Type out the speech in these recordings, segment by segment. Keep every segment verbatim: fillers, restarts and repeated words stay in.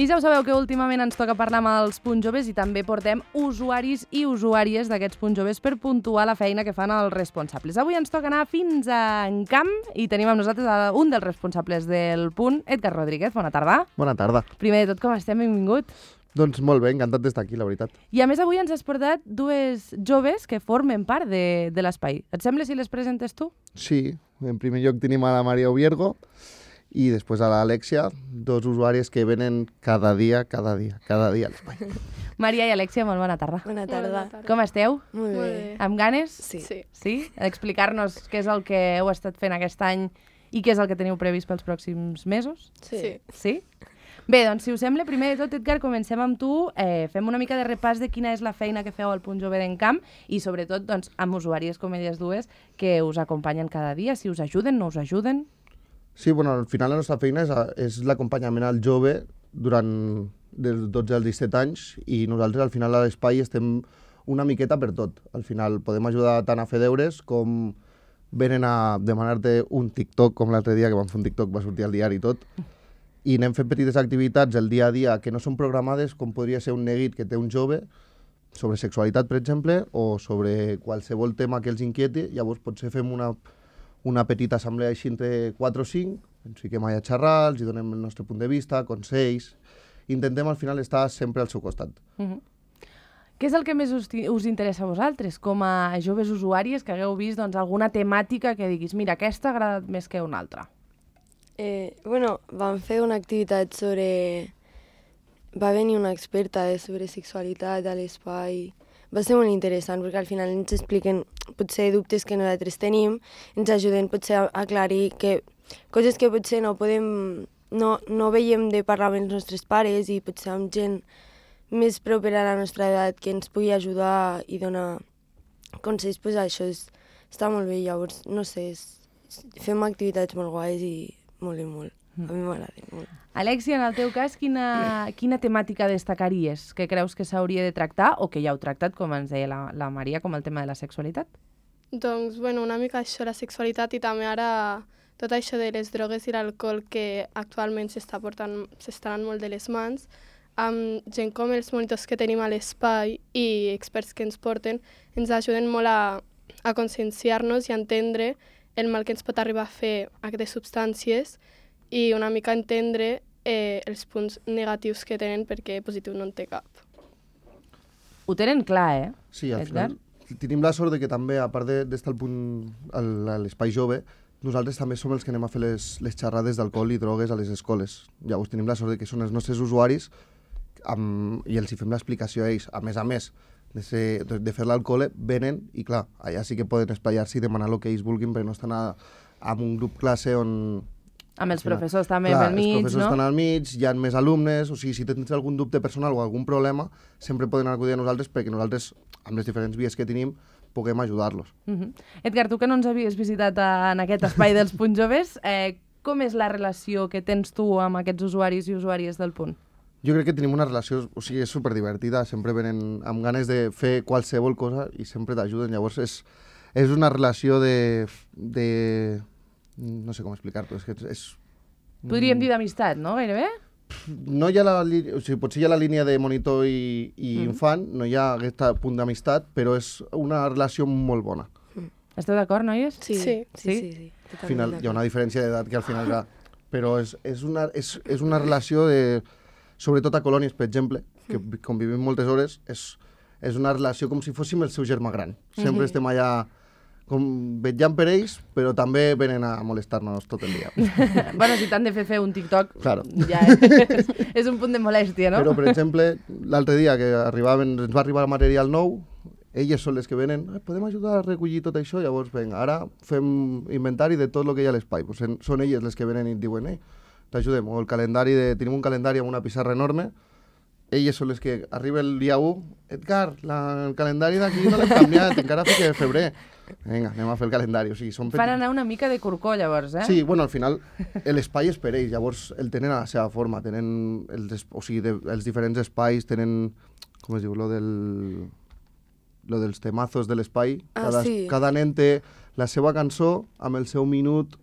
I ja ho sabeu que últimament ens toca parlar amb els punts joves i també portem usuaris i usuàries d'aquests punts joves per puntuar la feina que fan els responsables. Avui ens toca anar fins a Encamp i tenim amb nosaltres un dels responsables del punt, Edgar Rodríguez. Bona tarda. Bona tarda. Primer de tot, com estem? Benvingut. Doncs molt bé, encantat d'estar aquí, la veritat. I a més avui ens has portat dues joves que formen part de, de l'espai. Et sembla si les presentes tu? Sí, en primer lloc tenim a la Maria Oviergo i després a l'Alexia, dos usuaris que venen cada dia, cada dia, cada dia a l'espai. Maria i Alexia, molt bona tarda. Bona tarda. Bona tarda. Com esteu? Molt bé. Molt bé. Amb ganes? Sí. Sí. Sí? Explicar-nos què és el que heu estat fent aquest any i què és el que teniu previst pels pròxims mesos? Sí. Sí? Bé, doncs, si us sembla, primer de tot, Edgar, comencem amb tu. Eh, fem una mica de repàs de quina és la feina que feu al Punt Jove d'Encamp i, sobretot, doncs, amb usuàries com elles dues que us acompanyen cada dia. Si us ajuden, no us ajuden? Sí, bueno, al final la nostra feina és, és l'acompanyament al jove durant dels dotze als disset anys i nosaltres al final a l'espai estem una miqueta per tot. Al final podem ajudar tant a fer deures com venen a demanar-te un TikTok, com l'altre dia que vam fer un TikTok, va sortir al diari i tot, i anem fent petites activitats el dia a dia que no són programades, com podria ser un neguit que té un jove sobre sexualitat, per exemple, o sobre qualsevol tema que els inquieti. Llavors potser fem una, una petita assemblea així entre quatre o cinc, ens fiquem allà a xerrar, els hi donem el nostre punt de vista, consells. Intentem al final estar sempre al seu costat. Uh-huh. Què és el que més us, us interessa a vosaltres, com a joves usuàries que hagueu vist doncs, alguna temàtica que diguis mira, aquesta ha agradat més que una altra? Eh, bueno, vam fer una activitat sobre... Va venir una experta eh, sobre sexualitat a l'espai. Va ser molt interessant perquè al final ens expliquen potser dubtes que nosaltres tenim, ens ajuden potser a aclarir que coses que potser no podem, no, no veiem de parlar amb els nostres pares i potser amb gent més propera a la nostra edat que ens pugui ajudar i donar consells, pues això és, està molt bé. Llavors, no sé, és, fem activitats molt guais i molt i molt. A mi m'agrada molt. Alexia, en el teu cas, quina, quina temàtica destacaries que creus que s'hauria de tractar o que ja heu tractat, com ens deia la, la Maria, com el tema de la sexualitat? Doncs, bueno, una mica això, la sexualitat i també ara tot això de les drogues i l'alcohol que actualment s'està portant, s'està anant molt de les mans, amb gent com els monitors que tenim a l'espai i experts que ens porten, ens ajuden molt a, a conscienciar-nos i a entendre el mal que ens pot arribar a fer aquestes substàncies i una mica entendre eh, els punts negatius que tenen perquè positiu no en té cap. Ho tenen clar, eh? Sí, al Edgar? final tenim la sort de que també, a part de- d'estar al punt a l'espai jove, nosaltres també som els que anem a fer les, les xerrades d'alcohol i drogues a les escoles. Llavors tenim la sort de que són els nostres usuaris amb, i els hi fem l'explicació a ells. A més a més de, ser, de, de fer l'alcohol, venen i clar, allà sí que poden espaiar-se i demanar el que ells vulguin perquè no estan a, a un grup classe on... Amb els professors també Clar, pel mig, els professors no? estan al mig, hi ha més alumnes, o sigui, si tens algun dubte personal o algun problema, sempre poden acudir a nosaltres perquè nosaltres, amb les diferents vies que tenim, puguem ajudar-los. Uh -huh. Edgar, tu que no ens havies visitat en aquest espai dels punts joves, eh, com és la relació que tens tu amb aquests usuaris i usuàries del punt? Jo crec que tenim una relació, o sigui, és superdivertida, sempre venen amb ganes de fer qualsevol cosa i sempre t'ajuden, llavors és, és una relació de, de... no sé com explicar-t'ho, és que és... Podríem dir d'amistat, no? Gairebé? No hi ha la línia, o sigui, potser hi ha la línia de monitor i, i Mm. infant, no hi ha aquest punt d'amistat, però és una relació molt bona. Esteu d'acord, noies? Sí, Sí. sí, sí. Sí? sí, Al final hi ha una diferència d'edat que al final ja... Però és, és, una, és, és una relació de... Sobretot a colònies, per exemple, que convivim moltes hores, és, és una relació com si fóssim el seu germà gran. Sempre estem allà com vetllant per ells, però també venen a molestar-nos tot el dia. Bueno, si t'han de fer fer un TikTok, Claro. ja és, és un punt de molèstia, no? Però, per exemple, l'altre dia que arribaven, ens va arribar material nou, elles són les que venen, eh, podem ajudar a recollir tot això? Llavors, vinga, ara fem inventari de tot el que hi ha a l'espai. Pues en, són elles les que venen i et diuen, eh, t'ajudem. O el calendari, de, tenim un calendari amb una pissarra enorme, elles són les que arriba el dia u, Edgar, la, el calendari d'aquí no l'hem canviat, encara fica de febrer. Vinga, anem a fer el calendari. O sigui, són Fan anar una mica de corcó, llavors, eh? Sí, bueno, al final l'espai és per ells, llavors el tenen a la seva forma, tenen els, es- o sigui, de, els diferents espais, tenen, com es diu, lo del... lo dels temazos de l'espai. Ah, cada, sí. cada nen té la seva cançó amb el seu minut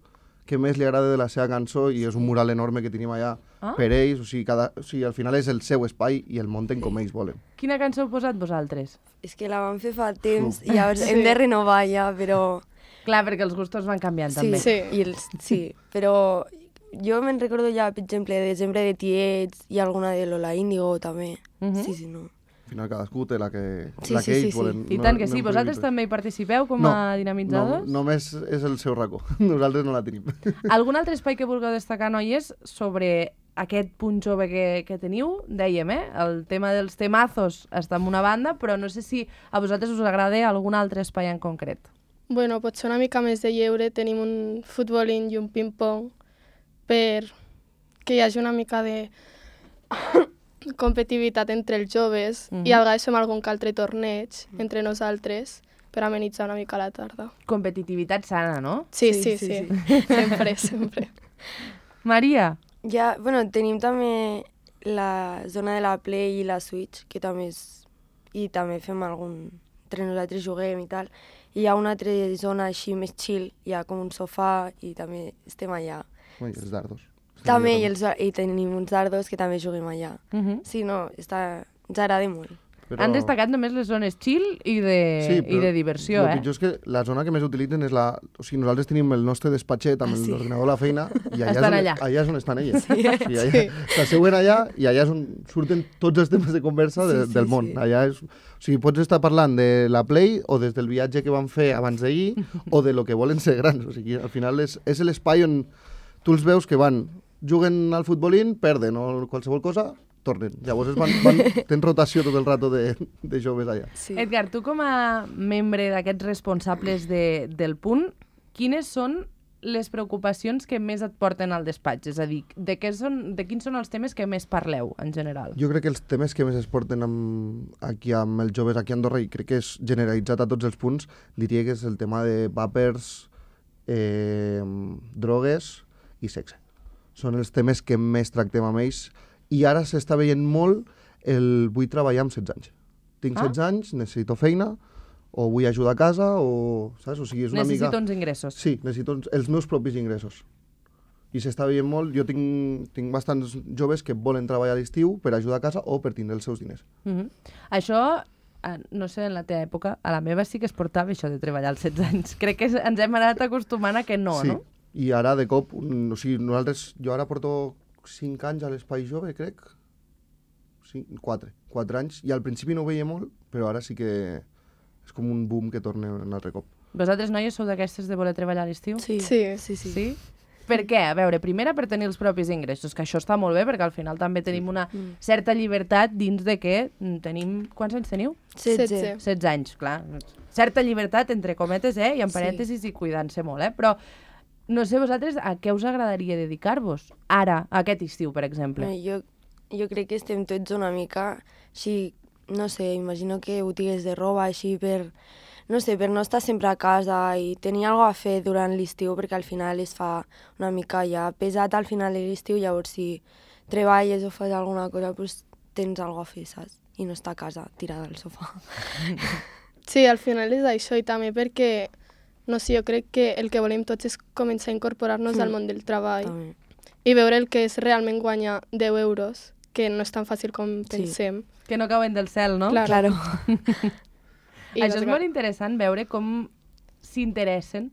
que més li agrada de la seva cançó i és un mural enorme que tenim allà Ah? per ells, o sigui, cada, o sigui, al final és el seu espai i el munten com ells volen. Quina cançó heu posat vosaltres? És que la vam fer fa temps Uf. i llavors Sí. hem de renovar ja, però... Clar, perquè els gustos van canviant Sí, també. Sí. I els, sí, però jo me'n recordo ja, per exemple, de Desembre de Tiets i alguna de Lola Índigo també. Mhm. Sí, sí, no. Al final cadascú té la que, Sí, la sí, que sí, ells sí. volen. I tant que no sí. em Vosaltres prohibim també hi participeu com No, a dinamitzadors? No, només és el seu racó. Nosaltres no la tenim. Algun altre espai que vulgueu destacar, noies, sobre aquest punt jove que, que teniu? Dèiem, eh? El tema dels temazos està en una banda, però no sé si a vosaltres us agrada algun altre espai en concret. Bueno, potser una mica més de lleure. Tenim un futbolín i un ping-pong per que hi hagi una mica de competitivitat entre els joves Mhm. i a vegades fem algun que altre torneig entre nosaltres per amenitzar una mica la tarda. Competitivitat sana, no? Sí, Sí, sí, sí, sí. sí. Sempre, sempre. Maria, Ja, bueno, tenim també la zona de la Play i la Switch, que també és... I també fem algun... Entre nosaltres juguem i tal. I hi ha una altra zona així més chill, hi ha com un sofà i també estem allà. Ui, els dardos. També, i, els, i tenim uns dardos que també juguem allà. uh -huh. Sí, no, està... ens agrada molt. Però... han destacat només les zones chill i de, Sí, i de diversió, el eh? pitjor és que la zona que més utilitzen és la... O sigui, nosaltres tenim el nostre despatxet amb Ah, sí. l'ordinador a la feina i allà, Estan és on, allà. allà és on estan elles. Sí. I allà, Sí. s'asseuen allà i allà és on surten tots els temes de conversa de, Sí, sí, del món. sí. Allà és... O sigui, pots estar parlant de la Play o des del viatge que van fer abans d'ahir o de lo que volen ser grans. O sigui, al final és, és l'espai on tu els veus que van, juguen al futbolín, perden o qualsevol cosa, tornen. Llavors es van, van, tens rotació tot el rato de, de joves allà. Sí. Edgar, tu com a membre d'aquests responsables de, del punt, quines són les preocupacions que més et porten al despatx? És a dir, de, què són, de quins són els temes que més parleu, en general? Jo crec que els temes que més es porten amb, aquí amb els joves aquí a Andorra, i crec que és generalitzat a tots els punts, diria que és el tema de vapers, eh, drogues i sexe. Són els temes que més tractem amb ells, i ara s'està veient molt el vull treballar amb setze anys. Tinc Ah. setze anys, necessito feina, o vull ajudar a casa, o... Saps? O sigui, és una Necessito mica... uns ingressos. Sí, necessito uns- els meus propis ingressos. I s'està veient molt. Jo tinc, tinc bastants joves que volen treballar a l'estiu per ajudar a casa o per tindre els seus diners. Uh -huh. Això, eh, no sé, en la teva època, a la meva sí que es portava això de treballar als setze anys. Crec que ens hem anat acostumant a que no, sí. no? I ara, de cop, un, o sigui, nosaltres... Jo ara porto cinc anys a l'Espai Jove, crec. Sí, quatre. Quatre anys. I al principi no ho veia molt, però ara sí que és com un boom que torna un altre cop. Vosaltres, noies, sou d'aquestes de voler treballar a l'estiu? Sí, Sí. sí, sí. Sí? Per què? A veure, primera per tenir els propis ingressos, que això està molt bé, perquè al final també tenim una Mm. certa llibertat dins de que mm, tenim... Quants anys teniu? setze. setze. setze anys, clar. Certa llibertat, entre cometes, eh? I en Sí. parèntesis i cuidant-se molt, eh? Però no sé vosaltres a què us agradaria dedicar-vos ara, aquest estiu, per exemple. No, jo, jo crec que estem tots una mica així, no sé, imagino que botigues de roba així per, no sé, per no estar sempre a casa i tenir alguna a fer durant l'estiu, perquè al final es fa una mica ja pesat al final de l'estiu, llavors si treballes o fas alguna cosa, pues tens alguna a fer, saps? I no estar a casa tirada al sofà. Sí, al final és això, i també perquè, no sé, jo crec que el que volem tots és començar a incorporar-nos Mm. al món del treball També. i veure el que és realment guanyar deu euros, que no és tan fàcil com Sí. pensem. Que no cauen del cel, no? Clar. Claro. I Això és doncs, molt interessant, veure com s'interessen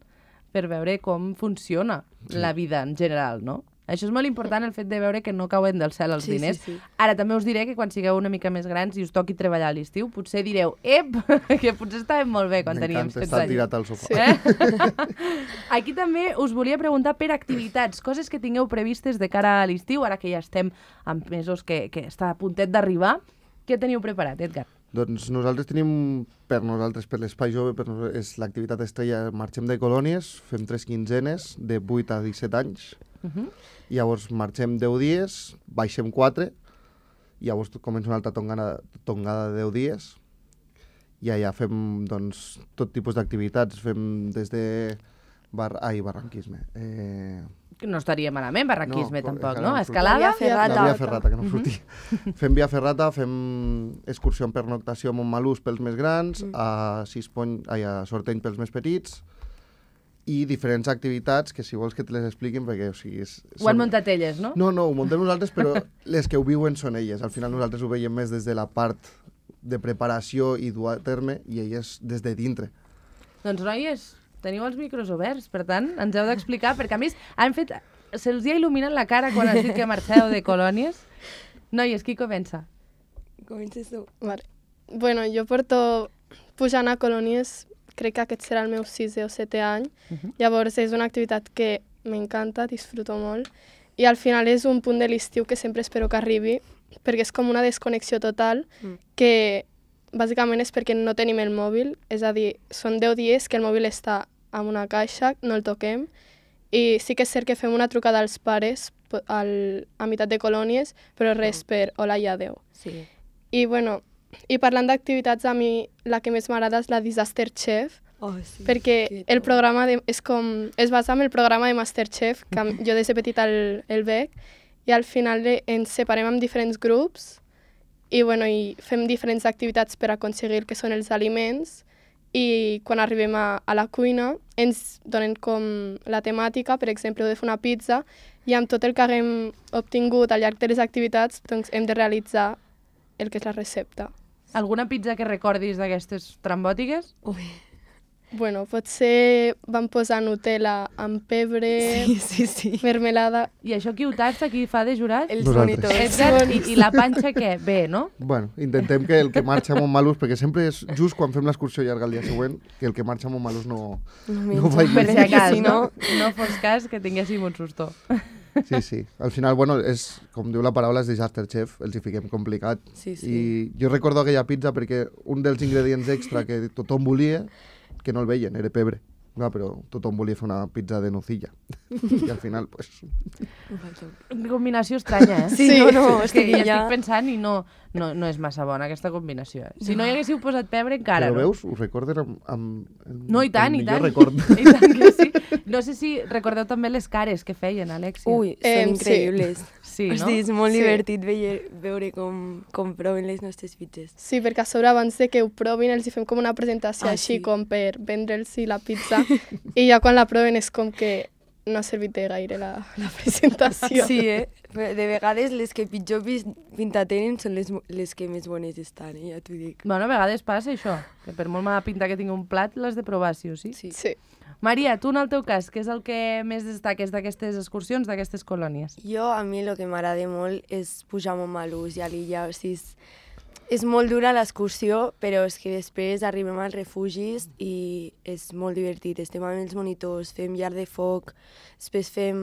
per veure com funciona Sí. la vida en general, no? Això és molt important, el fet de veure que no cauen del cel els Sí, diners. sí, sí. Ara, també us diré que quan sigueu una mica més grans i us toqui treballar a l'estiu, potser direu, ep, que potser estàvem molt bé quan teníem M'encanta setze estar anys. tirat al sofà. Sí. Eh? Aquí també us volia preguntar per activitats, coses que tingueu previstes de cara a l'estiu, ara que ja estem en mesos que, que està a puntet d'arribar. Què teniu preparat, Edgar? Doncs nosaltres tenim, per nosaltres, per l'Espai Jove, per nosaltres, és l'activitat estrella, marxem de colònies, fem tres quinzenes de vuit a disset anys, Uh -huh. llavors marxem deu dies, baixem quatre, llavors comença una altra tongada, tongada de deu dies, i allà fem doncs, tot tipus d'activitats, fem des de... Bar... Ai, barranquisme. Eh... Que no estaria malament, barranquisme, No, tampoc, encara no? no em Escalada? Via Ferrata. La via ferrata, que no em sortia. Fem via ferrata, fem excursió en pernoctació a Montmalús pels més grans, Mm. a Sispony, ai, a Sorteny pels més petits, i diferents activitats que si vols que te les expliquin, perquè o sigui... És, Ho han muntat elles, no? No, no, ho muntem nosaltres, però les que ho viuen són elles. Al final nosaltres ho veiem més des de la part de preparació i dur a terme, i elles des de dintre. Doncs, noies, teniu els micros oberts, per tant, ens heu d'explicar, perquè a més han fet... Se'ls ha il·luminat la cara quan has dit que marxeu de colònies. Noies, qui comença? Comences tu. Vale. Bueno, jo porto pujant a colònies, crec que aquest serà el meu sisè o setè any. Uh-huh. Llavors és una activitat que m'encanta, disfruto molt, i al final és un punt de l'estiu que sempre espero que arribi, perquè és com una desconnexió total, mm. que bàsicament és perquè no tenim el mòbil, és a dir, són deu dies que el mòbil està en una caixa, no el toquem, i sí que és cert que fem una trucada als pares al, a meitat de colònies, però res per hola i adeu. Sí. I bueno, i parlant d'activitats, a mi la que més m'agrada és la Disaster Chef, oh, sí. perquè el programa de, és com, es basa en el programa de Masterchef, que jo des de petita el, el veig, i al final ens separem en diferents grups i, bueno, i fem diferents activitats per aconseguir el que són els aliments, i quan arribem a, a la cuina ens donen com la temàtica, per exemple, heu de fer una pizza, i amb tot el que haguem obtingut al llarg de les activitats doncs hem de realitzar el que és la recepta. Alguna pizza que recordis d'aquestes trambòtiques? Ui. Bueno, potser vam posar Nutella amb pebre, sí, sí, sí. mermelada... I això qui ho tasta, qui fa de jurat? Els Nosaltres. monitors. Edgar, i, I la panxa què? Bé, no? Bueno, intentem que el que marxa a Montmalús, perquè sempre és just quan fem l'excursió llarga el dia següent, que el que marxa a Montmalús no, No no vagi. Per si acas, Si no? no- No fos cas que tinguéssim un susto. Sí, sí. Al final, bueno, és, com diu la paraula, és Disaster Chef, els hi fiquem complicat. Sí, sí. I jo recordo aquella pizza perquè un dels ingredients extra que tothom volia, que no el veien, era pebre. Clar, però tothom volia fer una pizza de nocilla. I al final, pues... Combinació estranya, eh? Sí, no, no, és que estic ja ja- estic pensant i no, no, no és massa bona aquesta combinació. Si no hi haguéssiu posat pebre, encara Però no. veus? Us recorden amb, amb el, No, i tant, el i millor tant. record. I tant que sí. No sé si recordeu també les cares que feien, Alexia. Ui, són Em, sí. increïbles. Sí, no? Hosti, és molt Sí. divertit veure, veure com, com proven les nostres pizzas. Sí, perquè a sobre abans de que ho provin els hi fem com una presentació Ah, així sí. com per vendre'ls la pizza i ja quan la proven és com que no ha servit de gaire la, la presentació. Sí, eh? Però de vegades les que pitjor pis- pinta tenen són les, mo- les que més bones estan, eh? Ja t'ho dic. Bueno, a vegades passa això, que per molt mala pinta que tingui un plat, l'has de provar, sí o sí. Sí. Sí. Maria, tu en el teu cas, què és el que més destaques d'aquestes excursions, d'aquestes colònies? Jo, a mi el que m'agrada molt és pujar a Montmalús i a l'illa. O sigui, és, és molt dura l'excursió, però és que després arribem als refugis i és molt divertit. Estem amb els monitors, fem llar de foc, després fem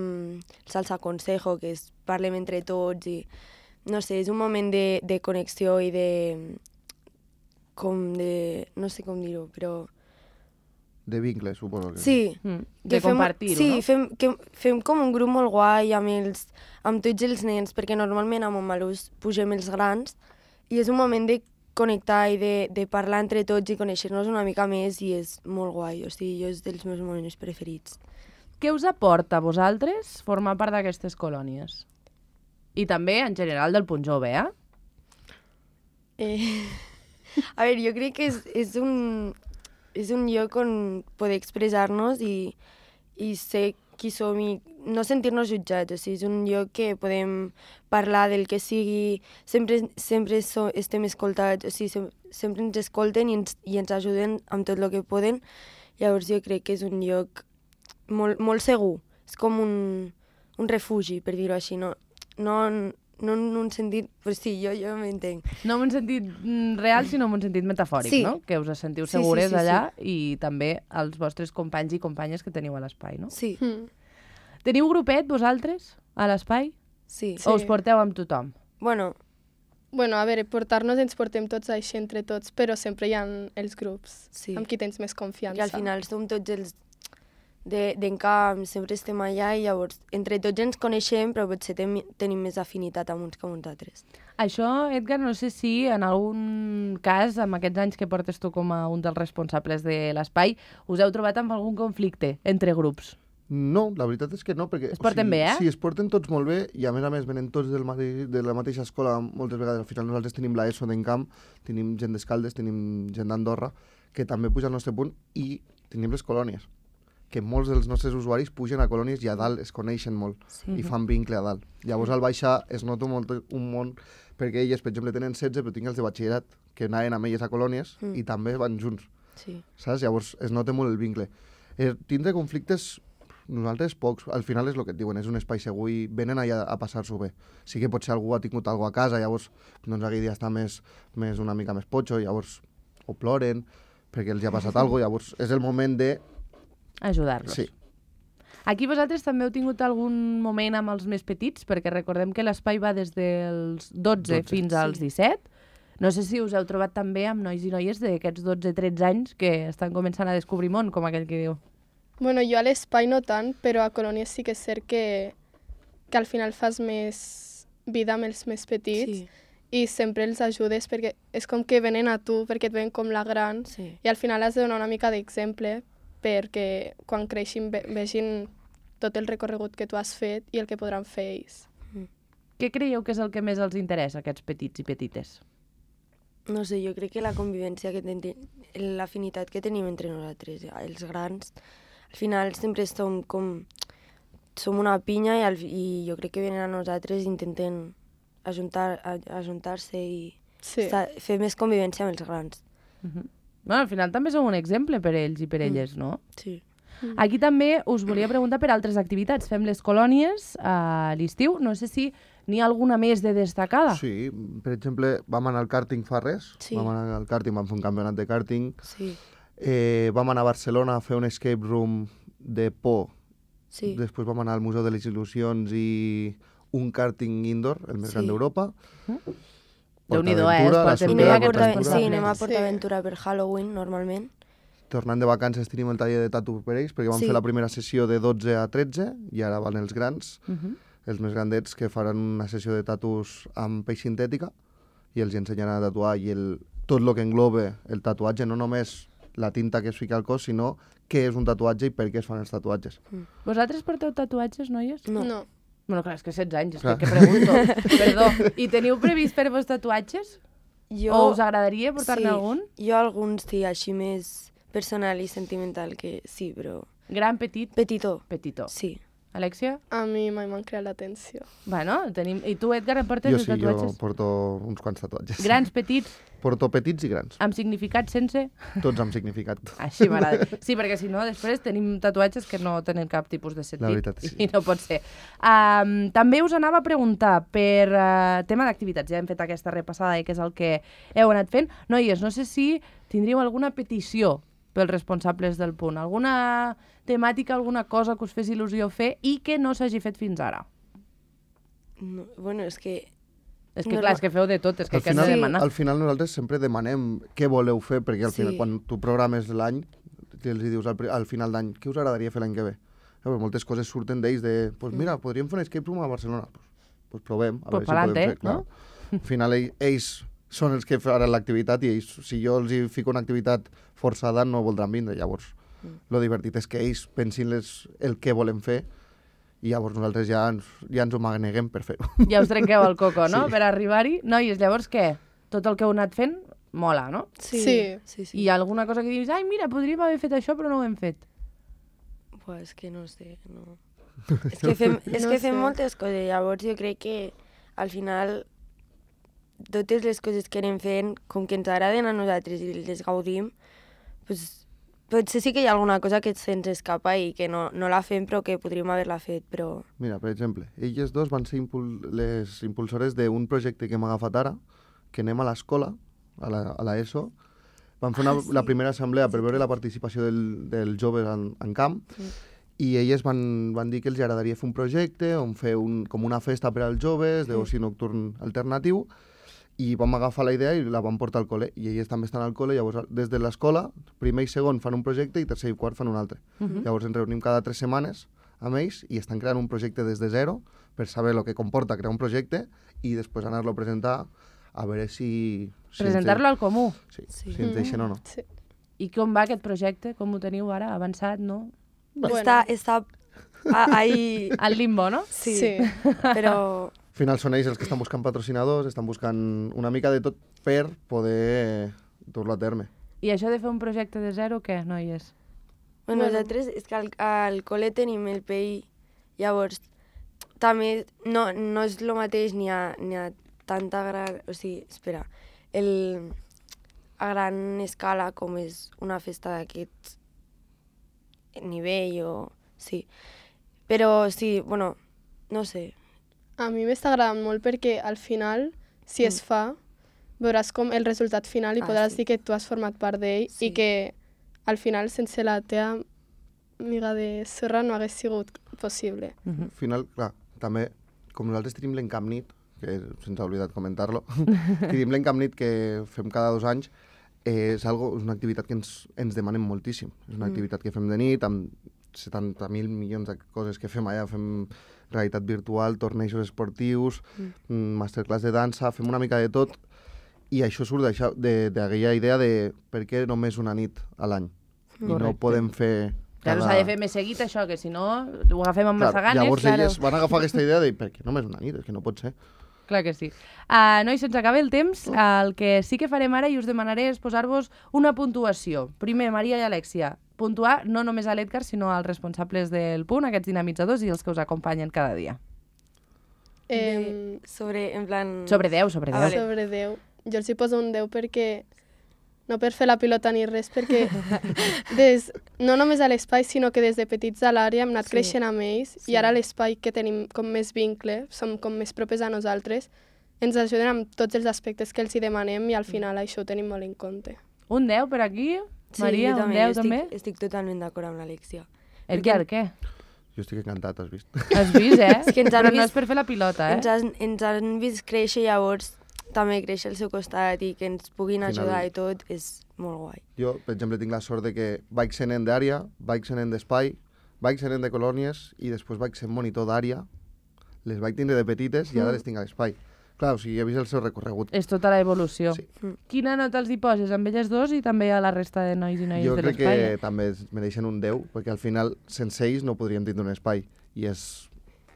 salsa consejo, que és parlem entre tots i no sé, és un moment de, de connexió i de... com de... no sé com dir-ho, però... De vincles, suposo. Que... Sí. Mm, Que de compartir-ho, sí, no? fem, que, fem com un grup molt guai amb, els, amb tots els nens, perquè normalment a Montmalús pugem els grans i és un moment de connectar i de, de parlar entre tots i conèixer-nos una mica més i és molt guai, o sigui, jo és dels meus moments preferits. Què us aporta a vosaltres formar part d'aquestes colònies? I també, en general, del punt jove, eh? Eh, a veure, jo crec que és, és, un, és un lloc on poder expressar-nos i, i ser qui som i no sentir-nos jutjats. O sigui, és un lloc que podem parlar del que sigui, sempre, sempre so, estem escoltats, o sigui, sem sempre ens escolten i ens, i ens ajuden amb tot el que poden. Llavors jo crec que és un lloc molt, molt segur. És com un, un refugi, per dir-ho així. No, no, no en un sentit... Però sí, jo, jo m'entenc. No en un sentit mm, real, sinó en un sentit metafòric, Sí. no? Que us sentiu Sí, sí, segures sí, sí. allà i també els vostres companys i companyes que teniu a l'espai, no? Sí, Mm. Teniu grupet, vosaltres, a l'espai? sí. O us porteu amb tothom? Bueno, Bueno, a veure, portar-nos ens portem tots així entre tots, però sempre hi ha els grups Sí. amb qui tens més confiança. i al final som tots els de- d'encamp, sempre estem allà i llavors entre tots ens coneixem, però potser tem tenim més afinitat amb uns que amb uns altres. Això, Edgar, no sé si en algun cas, amb aquests anys que portes tu com a un dels responsables de l'espai, us heu trobat amb algun conflicte entre grups? No, la veritat és que no, perquè... Es porten bé, eh? Sí, es porten tots molt bé i a més a més venen tots del mateix, de la mateixa escola moltes vegades. Al final nosaltres tenim l'ESO d'Encamp, tenim gent d'Escaldes, tenim gent d'Andorra, que també puja al nostre punt i tenim les colònies, que molts dels nostres usuaris pugen a colònies i a dalt es coneixen molt Sí. i fan vincle a dalt. Llavors al baixar es nota molt un món, perquè elles, per exemple, tenen setze, però tinc els de batxillerat, que anaven amb elles a colònies Mm. i també van junts, Sí. saps? Llavors es nota molt el vincle. Eh, tindre conflictes, nosaltres pocs, al final és el que et diuen, és un espai segur i venen allà a passar-s'ho bé. Sí que potser algú ha tingut alguna a casa, llavors doncs aquell dia està més, més una mica més potxo, llavors o ploren perquè els hi ha passat alguna cosa, llavors és el moment de... Ajudar-los. Sí. Aquí vosaltres també heu tingut algun moment amb els més petits, perquè recordem que l'espai va des dels dotze, dotze, fins als sí. disset. No sé si us heu trobat també amb nois i noies d'aquests dotze tretze anys que estan començant a descobrir món, com aquell que diu. Bueno, jo a l'espai no tant, però a colònies sí que és cert que, que al final fas més vida amb els més petits Sí. i sempre els ajudes perquè és com que venen a tu, perquè et ven com la gran Sí. i al final has de donar una mica d'exemple perquè quan creixin ve vegin tot el recorregut que tu has fet i el que podran fer ells. Què creieu que és el que més els interessa, aquests petits i petites? No sé, jo crec que la convivència que tenim, l'afinitat que tenim entre nosaltres, els grans, al final sempre som com... Som una pinya i, al, i jo crec que venen a nosaltres i intenten ajuntar, a- ajuntar-se i Sí. estar, fer més convivència amb els grans. Uh -huh. Bueno, al final també sou un exemple per ells i per elles, no? Sí. Aquí també us volia preguntar per altres activitats. Fem les colònies a l'estiu. No sé si n'hi ha alguna més de destacada. Sí, per exemple, vam anar al kàrting fa res, Sí. vam anar al kàrting, vam fer un campionat de kàrting, Sí. eh, vam anar a Barcelona a fer un escape room de por, Sí. després vam anar al Museu de les Il·lusions i un kàrting indoor, el més Sí. gran d'Europa. Déu-n'hi-do, eh? Portaventura, Es la porten I super anem a, aquests Porta, Portaventura. sí, anem a Sí. PortAventura per Halloween, normalment. Tornant de vacances tenim el taller de tatu per ells, perquè vam Sí. fer la primera sessió de dotze a tretze, i ara van els grans, Uh -huh. els més grandets, que faran una sessió de tatus amb pell sintètica, i els ensenyaran a tatuar, i el, tot el que engloba el tatuatge, no només la tinta que es fica al cos, sinó què és un tatuatge i per què es fan els tatuatges. Vosaltres porteu tatuatges, noies? No. No. Bueno, clar, és que setze anys, és Clar. que, que pregunto. Perdó. I teniu previst fer-vos tatuatges? Jo, O us agradaria portar-ne sí, algun? Jo alguns, sí, així més personal i sentimental, que sí, però... Gran, petit, Petitó, petitó. sí. Alexia? A mi mai m'han creat l'atenció. Bueno, tenim... I tu, Edgar, em portes Jo els sí, jo tatuatges? porto uns quants tatuatges. Grans, petits, Porto petits i grans, amb significat, sense? tots amb significat. Així m'agrada. Sí, perquè si no, després tenim tatuatges que no tenen cap tipus de sentit. La veritat, sí. I no pot ser. Um, també us anava a preguntar per uh, tema d'activitats. Ja hem fet aquesta repassada i que és el que heu anat fent. Noies, no sé si tindríeu alguna petició pels responsables del punt. Alguna temàtica, alguna cosa que us fes il·lusió fer i que no s'hagi fet fins ara. No, bueno, és que... És que, No, clar, no. és que feu de tot, és que Al què has de final, demanar? al final nosaltres sempre demanem què voleu fer, perquè al Sí. final, quan tu programes l'any, els dius al, pri- al final d'any, què us agradaria fer l'any que ve? Eh, pues moltes coses surten d'ells de, pues mira, podríem fer un escape room a Barcelona. Pues, pues provem, a Pues veure si podem pa'lante, fer. Clar. no? Al final ell, ells són els que faran l'activitat i ells, si jo els hi fico una activitat forçada no voldran vindre. Llavors, Mm. lo divertit és que ells pensin les, el que volen fer i llavors nosaltres ja ens, ja ens ho maneguem per fer-ho. Ja us trenqueu el coco, no?, Sí. per arribar-hi. Noies, llavors què? Tot el que heu anat fent mola, no? Sí, Sí. sí, sí. I hi ha alguna cosa que dius, ai, mira, podríem haver fet això, però no ho hem fet. Buah, és que no sé, no... és que fem, és No que fem sé. moltes coses, llavors jo crec que al final totes les coses que anem fent, com que ens agraden a nosaltres i les gaudim, pues, potser sí que hi ha alguna cosa que se'ns escapa i que no, no la fem però que podríem haver-la fet, però... Mira, per exemple, elles dos van ser impul les impulsores d'un projecte que hem agafat ara, que anem a l'escola, a la, a la ESO, vam fer una, Ah, sí. la primera assemblea per veure la participació del, del joves en, en camp, Sí. i elles van, van dir que els agradaria fer un projecte on fer un, com una festa per als joves, d'oci nocturn alternatiu, i vam agafar la idea i la vam portar al col·le, i elles també estan al col·le, llavors des de l'escola, primer i segon fan un projecte i tercer i quart fan un altre. Uh -huh. Llavors ens reunim cada tres setmanes amb ells i estan creant un projecte des de zero per saber el que comporta crear un projecte i després anar-lo a presentar a veure si... si ens Presentar-lo de- al comú. Sí, Sí. si ens deixen o no. Sí. I com va aquest projecte? Com ho teniu ara? Avançat, no? Bueno. Està, està a- ahí... Al limbo, no? Sí, Sí. però... Al final són ells els que estan buscant patrocinadors, estan buscant una mica de tot per poder dur-lo a terme. I això de fer un projecte de zero, què, noies? Bueno, Bueno. nosaltres és que al, al col·le tenim el P I, llavors també no, no és el mateix ni a, ni a tanta gran... O sigui, espera, el, a gran escala com és una festa d'aquest nivell o... Sí. Però sí, bueno, no sé. A mi m'està agradant molt perquè al final, si es fa, veuràs com el resultat final i Ah, podràs sí. dir que tu has format part d'ell Sí. i que al final sense la teva amiga de sorra no hagués sigut possible. Al final, clar, també, com nosaltres tenim l'Encamnit, que se'ns ha oblidat comentar-lo, tenim l'Encamnit que fem cada dos anys, eh, és, algo, és una activitat que ens, ens demanen moltíssim. És una Mm. activitat que fem de nit, amb setanta mil milions de coses que fem allà, fem realitat virtual, tornejos esportius, mm. masterclass de dansa, fem una mica de tot, i això surt d'això- de- d'aquella idea de per què només una nit a l'any. I no Correcte. podem fer... Claro, s'ha de fer més seguit això, que si no ho agafem amb massa ganes. llavors claro. elles van agafar aquesta idea de per què només una nit, és que no pot ser. Clar que sí. Uh, nois, se'ns acaba el temps. El que sí que farem ara i us demanaré és posar-vos una puntuació. Primer, Maria i Alexia, puntuar no només a l'Edgar, sinó als responsables del punt, aquests dinamitzadors i els que us acompanyen cada dia. Eh, De, sobre, en plan... Sobre deu, sobre Ah, deu. vale. sobre deu. Jo els hi poso un deu perquè no per fer la pilota ni res, perquè des, no només a l'espai, sinó que des de petits a l'àrea hem anat Sí. creixent amb ells Sí. i ara a l'espai que tenim com més vincle, som com més propers a nosaltres, ens ajuden amb tots els aspectes que els hi demanem i al final això ho tenim molt en compte. Un deu per aquí? Sí, Maria, jo un també, deu jo estic, també? Estic totalment d'acord amb l'Alexia. Edgar, què? Jo estic encantat, has vist? Has vist, eh? És que ens han Però no vist- és per fer la pilota, eh? Ens, han, ens han vist créixer, llavors també créixer al seu costat i que ens puguin Al final- ajudar i tot és molt guai. Jo, per exemple, tinc la sort de que vaig sent nen d'àrea, vaig sent nen d'espai, vaig sent nen de colònies i després vaig ser monitor d'àrea. Les vaig tindre de petites i ara les tinc a l'espai. Clar, o sigui, he vist el seu recorregut. És tota la evolució. Sí. Quina nota els hi poses amb elles dos i també a la resta de nois i noies Jo de crec l'espai? que també es mereixen un deu, perquè al final, sense ells no podríem tindre un espai. I és,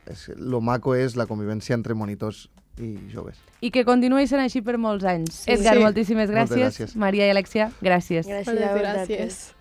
és... Lo maco és la convivència entre monitors i joves. I que continuï sent així per molts anys. Sí. Edgar, Sí. moltíssimes Moltes gràcies. gràcies. Maria i Alexia, gràcies. Gràcies Moltes a vosaltres. gràcies.